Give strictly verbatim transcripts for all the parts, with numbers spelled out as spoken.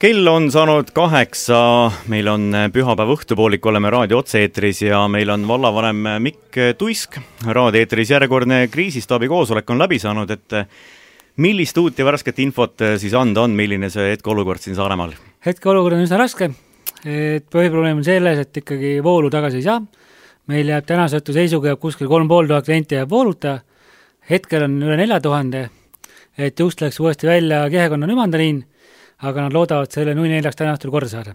Kell on saanud kaheksa, meil on pühapäev õhtupoolik, oleme raadio otse-eetris ja meil on vallavanem Mikk Tuisk. Raadioeetris järjekordne kriisistaabi koosolek on läbi saanud, et millist uut ja värsket infot siis anda on, milline see hetkeolukord siin Saaremaal? Hetkeolukord on üsna raske, et põhiprobleem on selles, et ikkagi voolu tagasi ei saa. Meil jääb tänasõhtu seisuga jääb kuskil kolm pool tuhat klienti jääb vooluta, hetkel on üle nelja tuhande, et just läks uuesti välja Kehekonna nümandaliin, aga nad loodavad selle nui neljaks täna õhtul korda saada.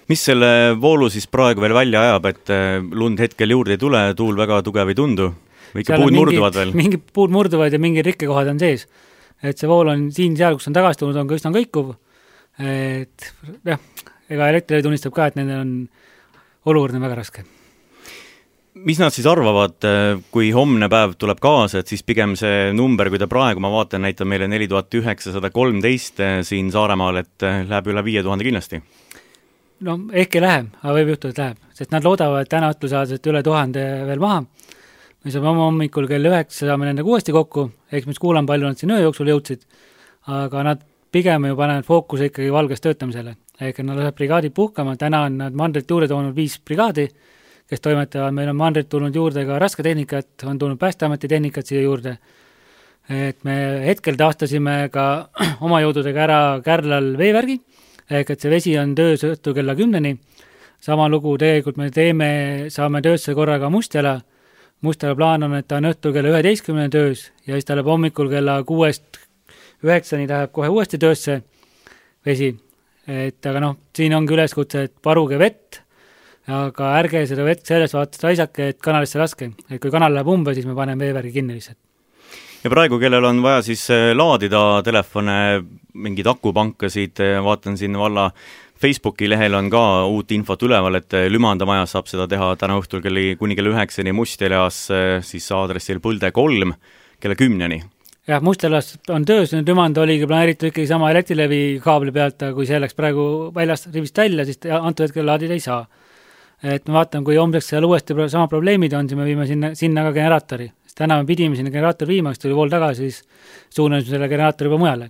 Mis selle voolu siis praegu veel välja ajab, et lund hetkel juurde ei tule, tuul väga tugev ei tundu? Või ikka puud mingid, murduvad veel? Mingid puud murduvad ja mingid rikkekohad on sees. Et see vool on siin seal, kus on tagasi tulnud, on ka üsna kõikuv. Et jah, ega elektri tunnistab ka, et nendel on olukord on väga raske. Mis nad siis arvavad, kui homne päev tuleb kaasa, et siis pigem see number, kui ta praegu, ma vaatan, näitab meile neli tuhat üheksasada kolmteist siin Saaremaal, et läheb üle viie tuhande kindlasti? No ehk ei lähe, aga võib juhtuda, et läheb, sest nad loodavad täna õhtul saada üle tuhande veel maha. Me saame oma hommikul kell üheksa saame nendega uuesti kokku, eks mis kuulan palju nad siin öö jooksul jõudsid, aga nad pigem ju panevad fookuse ikkagi valges töötamisele. Ehk nad läheb brigaadid puhkama, täna on nad mandrit juurde toonud viis brigaadi, kes toimetavad, meil on mandrit tulnud juurde ka rasketehnikat, on tulnud Päästeameti tehnikat siia juurde. Et me hetkel taastasime ka oma jõududega ära Kärlal veevärgi, ehk et see vesi on töös õhtul kella kümneni. Sama lugu tegelikult me teeme, saame töösse korraga Mustjala. Mustjala plaan on, et ta on õhtul kella üheteistkümneni töös ja siis ta läheb hommikul kella kuuest üheksani läheb kohe uuesti töösse vesi. Et aga noh, siin ongi üleskutse, et paruge vett, aga ärge seda vett sellest vaatast raisake, et kanalisse laske. Et kui kanal läheb umbe, siis me paneme veevärgi kinni lihtsalt. Ja praegu, kellel on vaja siis laadida telefone, mingid akupankasid, vaatan siin valla Facebooki lehel on ka uut infot üleval, et Lümandamajas saab seda teha täna õhtul kelli, kuni kella üheksani Mustjalas, siis aadressil Põlde kolm kella kümneni. Jah, Mustjalas on töös, nüüd Lümanda oligi planeeritud ikkagi sama elektrilevi kaabli pealt, aga kui see läks praegu väljast rivist välja, siis antud hetkel laadida ei saa. Et me vaatame, kui homseks seal uuesti sama probleemid on, siis me viime sinna, sinna ka generaatori. Täna me pidime sinna generaator viima, kes tuli vool tagasi, siis suunasime selle generaatori juba mujale.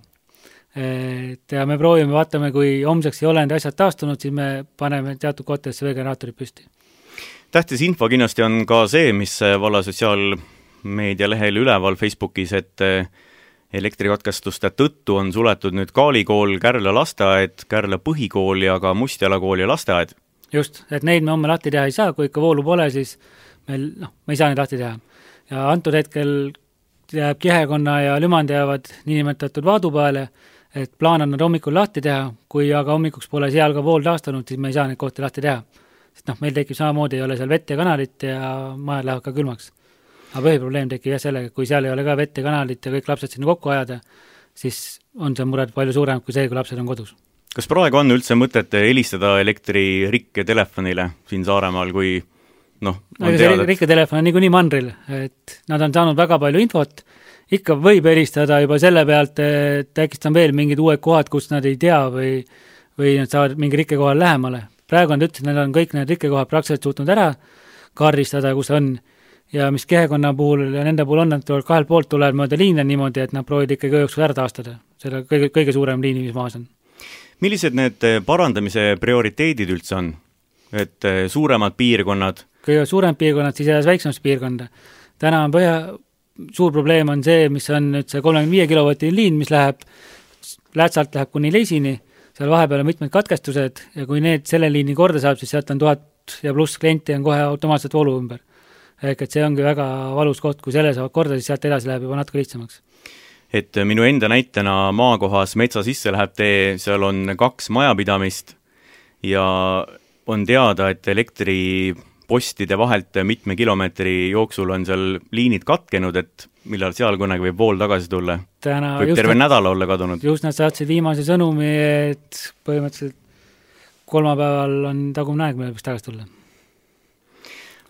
Et ja me proovime, vaatame, kui homseks ei ole need asjad taastunud, siis me paneme teatud kohtadesse veel generaatorid püsti. Tähtis info kindlasti on ka see, mis valla sotsiaalmeedia lehel üleval Facebookis, et elektrikatkestuste tõttu on suletud nüüd Kaalikool, Kärla lasteaed, Kärla põhikool ja ka Mustjala kool ja lasteaed. Just, et neid me homme lahti teha ei saa, kui ikka voolu pole, siis meil, noh, me ei saa neid lahti teha. Ja antud hetkel jääb Kehekonna ja Lümand jäävad niinimetatud vaadu peale, et plaan on nad hommikul lahti teha, kui aga hommikuks pole seal ka vool taastunud, siis me ei saa neid kohti lahti teha. Sest noh, meil tekib samamoodi, ei ole seal vett ja kanalit ja majad lähevad ka külmaks. Aga põhiprobleem tekib jah sellega, kui seal ei ole ka vett ja kanalit ja kõik lapsed sinna kokku ajada, siis on see mured palju suurem kui see, kui lapsed on kodus. Kas praegu on üldse mõtet helistada elektririkke telefonile siin Saaremaal, kui noh, on teada? Rikke telefon on nii kui nii mandril, et nad on saanud väga palju infot, ikka võib helistada juba selle pealt, et äkki on veel mingid uued kohad, kus nad ei tea või, või nad saavad mingi rikke kohal lähemale. Praegu on ütles, et nad on kõik need rikke kohad praktiliselt suutnud ära kaardistada, kus on ja mis Kehekonna puhul ja nende puhul on, et kahel poolt tuleb mööda liine niimoodi, et nad proovid ikkagi jooksul ära taastada. Selle kõige, kõige suurem liini, mis maas on. Millised need parandamise prioriteedid üldse on? Et suuremad piirkonnad? Kõige suuremad piirkonnad, siis jääs väiksemast piirkonda. Täna on põhja, suur probleem on see, mis on nüüd see kolmekümne viie kilovatine liin, mis läheb, Lätsalt läheb kuni Leisini, seal vahepeal on mitmed katkestused ja kui need selle liini korda saab, siis sealt on tuhat ja pluss klienti on kohe automaatselt voolu ümber. Ehk et see ongi väga valus koht, kui selle saavad korda, siis sealt edasi läheb juba natuke lihtsamaks. Et minu enda näitena maakohas metsa sisse läheb tee, seal on kaks majapidamist ja on teada, et elektripostide vahelt mitme kilomeetri jooksul on seal liinid katkenud, et millal seal kunagi võib vool tagasi tulla. Täna võib terve nad, nädala olla kadunud. Just nad saatsid viimase sõnumi, et põhimõtteliselt kolmapäeval on tagumne aeg, mille võiks tagasi tulla.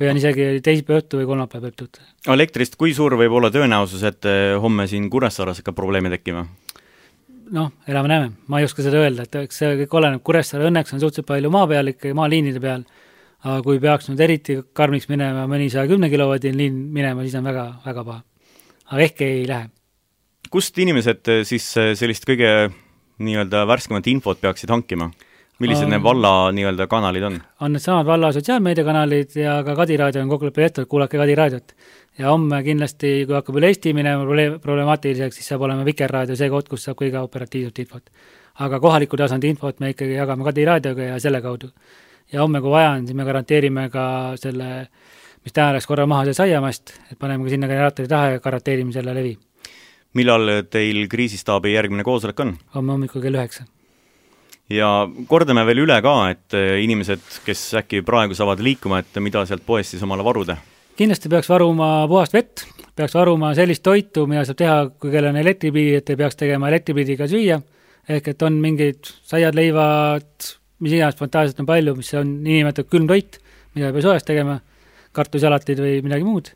Või on isegi teisipäev õhtu või kolmapäev võib tulla. Elektrist, kui suur võib olla tõenäosus, et homme siin Kuressaares ka probleemi tekkima? Noh, elame näeme. Ma ei oska seda öelda, et see kõik oleneb. Kuressaare õnneks on suhteliselt palju maa peal, ikka maaliinide peal. Aga kui peaks nüüd eriti karmiks minema mõni saja kümne kilovatine liin minema, siis on väga, väga paha. Aga ehk ei lähe. Kust inimesed siis sellist kõige nii-öelda värskemat infot peaksid hankima? Millised um, need valla nii-öelda kanalid on? On need samad valla sotsiaalmeediakanalid ja ka Kadi raadio on kokkuleppe jättud, kuulake Kadi raadiot. Ja homme kindlasti, kui hakkab üle Eesti minema problemaatiliseks, siis saab olema Vikerraadio see koht, kus saab kõige operatiivselt infot. Aga kohaliku tasandi infot me ikkagi jagame Kadi raadioga ja selle kaudu. Ja homme, kui vaja on, siis me garanteerime ka selle, mis täna läks korra maha see saiamast, et paneme ka sinna generaatori taha ja garanteerime selle levi. Millal teil kriisistaabi järgmine koosolek on? Homme hommikul kell üheksa. Ja kordame veel üle ka, et inimesed, kes äkki praegu saavad liikuma, et mida sealt poest siis omale varuda? Kindlasti peaks varuma puhast vett, peaks varuma sellist toitu, mida saab teha, kui kell on elektripiidi, et ei peaks tegema elektripiidiga süüa, ehk et on mingid saiad, leivad, mis iganes spontaanselt on palju, mis on inimetatud külm toit, mida ei pea soojast tegema, kartusalatid või midagi muud,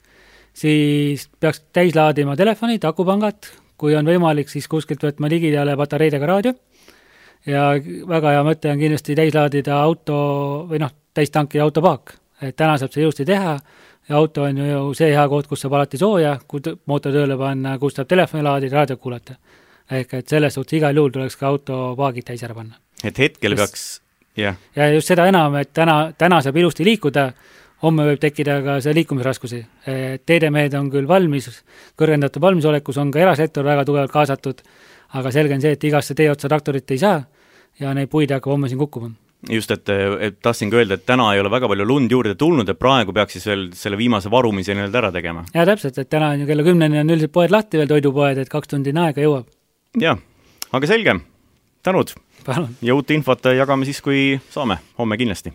siis peaks täis laadima telefonid, akupangad, kui on võimalik, siis kuskilt võtma ligidale patareidega raadio ja väga hea mõte on kindlasti täis laadida auto või noh, täis tankida autopaak, et täna saab see jõusti teha ja auto on ju see hea koht, kus saab alati sooja, kui mootor tööle panna, kus saab telefoni laadida, raadio kuulata. Ehk et selles suhtes igal juhul tuleks ka autopaagid täis ära panna. Et hetkel peaks, jah. Ja just seda enam, et täna, täna saab ilusti liikuda, homme võib tekkida ka see liikumisraskusi. Teedemehed on küll valmis, kõrgendatud valmisolekus on ka erasektor väga tugevalt kaasatud, aga selge on see, et igasse tee otsa traktorit ei saa ja neid puid hakkab homme siin kukkuma. Just, et, et tahtsin ka öelda, et täna ei ole väga palju lund juurde tulnud, et praegu peaks siis veel selle viimase varumise nii-öelda ära tegema. Ja täpselt, et täna on ju kella kümneni on üldiselt poed lahti veel toidupoed, et kaks tundi aega jõuab. Jah, aga selge. Tänud. Palun. Ja uut infot jagame siis, kui saame. Homme kindlasti.